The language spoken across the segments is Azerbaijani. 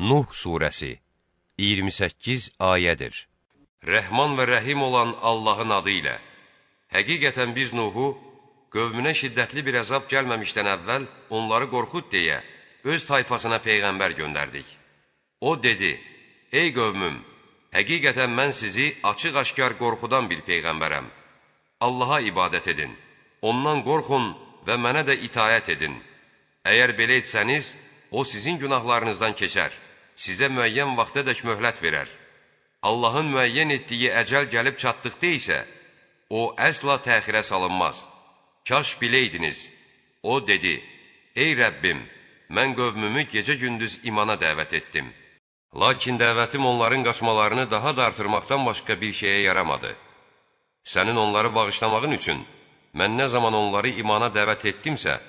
Nuh surəsi 28 ayədir. Rəhman və rəhim olan Allahın adı ilə. Həqiqətən biz Nuhu, qövmünə şiddətli bir əzab gəlməmişdən əvvəl onları qorxud deyə öz tayfasına peyğəmbər göndərdik. O dedi, ey qövmüm, həqiqətən mən sizi açıq-aşkar qorxudan bir peyğəmbərəm. Allaha ibadət edin, ondan qorxun və mənə də itayət edin. Əgər belə etsəniz, o sizin günahlarınızdan keçər, sizə müəyyən vaxtadək möhlət verər. Allahın müəyyən etdiyi əcəl gəlib çatdıqda isə, o əsla təxirə salınmaz. Kaş biləydiniz. O dedi, ey Rəbbim, mən qövmümü gecə-gündüz imana dəvət etdim. Lakin dəvətim onların qaçmalarını daha da artırmaqdan başqa bir şeyə yaramadı. Sənin onları bağışlamağın üçün, mən nə zaman onları imana dəvət etdimsə,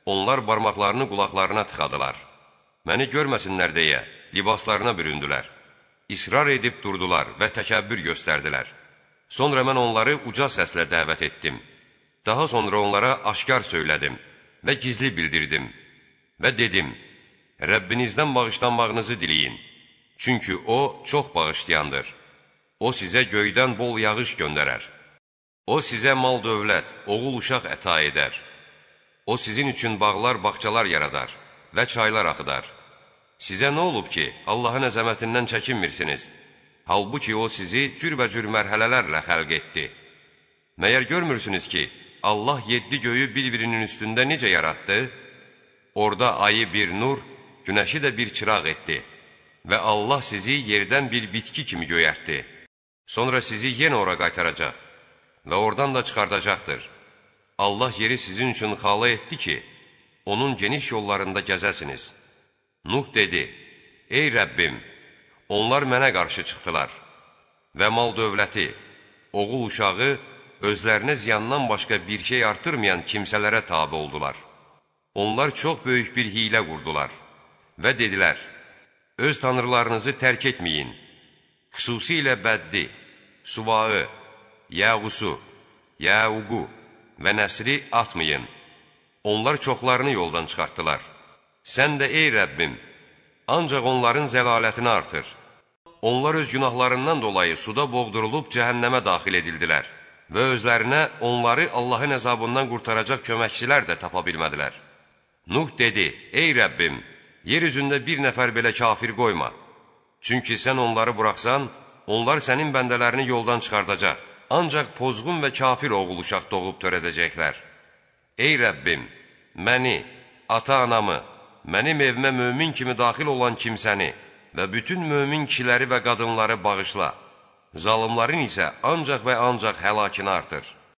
onlar barmaqlarını qulaqlarına tıxadılar. Məni görməsinlər deyə libaslarına büründülər. İsrar edib durdular və təkəbbür göstərdilər. Sonra mən onları uca səslə dəvət etdim. Daha sonra onlara aşkar söylədim və gizli bildirdim. Və dedim, Rəbbinizdən bağışlanmağınızı diləyin. Çünki o çox bağışlayandır. O sizə göydən bol yağış göndərər. O sizə mal dövlət, oğul uşaq əta edər. O sizin üçün bağlar, bağçalar yaradar və çaylar axıdar. Sizə nə olub ki, Allahın əzəmətindən çəkinmirsiniz? Halbuki o sizi cürbəcür mərhələlərlə xəlq etdi. Məyər görmürsünüz ki, Allah 7 göyü bir-birinin üstündə necə yaratdı? Orada ayı bir nur, günəşi də bir çıraq etdi. Və Allah sizi yerdən bir bitki kimi göyərtdi. Sonra sizi yenə ora qaytaracaq və oradan da çıxardacaqdır. Allah yeri sizin üçün xala etdi ki, onun geniş yollarında gəzəsiniz. Nuh dedi, ey Rəbbim, onlar mənə qarşı çıxdılar və mal dövləti, oğul uşağı özlərinə ziyandan başqa bir şey artırmayan kimsələrə tabi oldular. Onlar çox böyük bir hilə qurdular və dedilər, öz tanrılarınızı tərk etməyin, xüsusilə Bəddi, Suvağı, Yəğusu, Yəuqu və Nəsri atmayın. Onlar çoxlarını yoldan çıxartdılar. Sən də ey Rəbbim, ancaq onların zəlalətini artır. Onlar öz günahlarından dolayı suda boğdurulub cəhənnəmə daxil edildilər və özlərinə onları Allahın əzabından qurtaracaq köməkçilər də tapa bilmədilər. Nuh dedi, ey Rəbbim, yer üzündə bir nəfər belə kafir qoyma. Çünki sən onları buraxsan, onlar sənin bəndələrini yoldan çıxardacaq. Ancaq pozğun və kafir oğul uşaq doğub törədəcəklər. Ey Rəbbim, məni, ata-anamı, mənim evimə mömin kimi daxil olan kimsəni və bütün mömin kişiləri və qadınları bağışla. Zalımların isə ancaq və ancaq həlakını artır.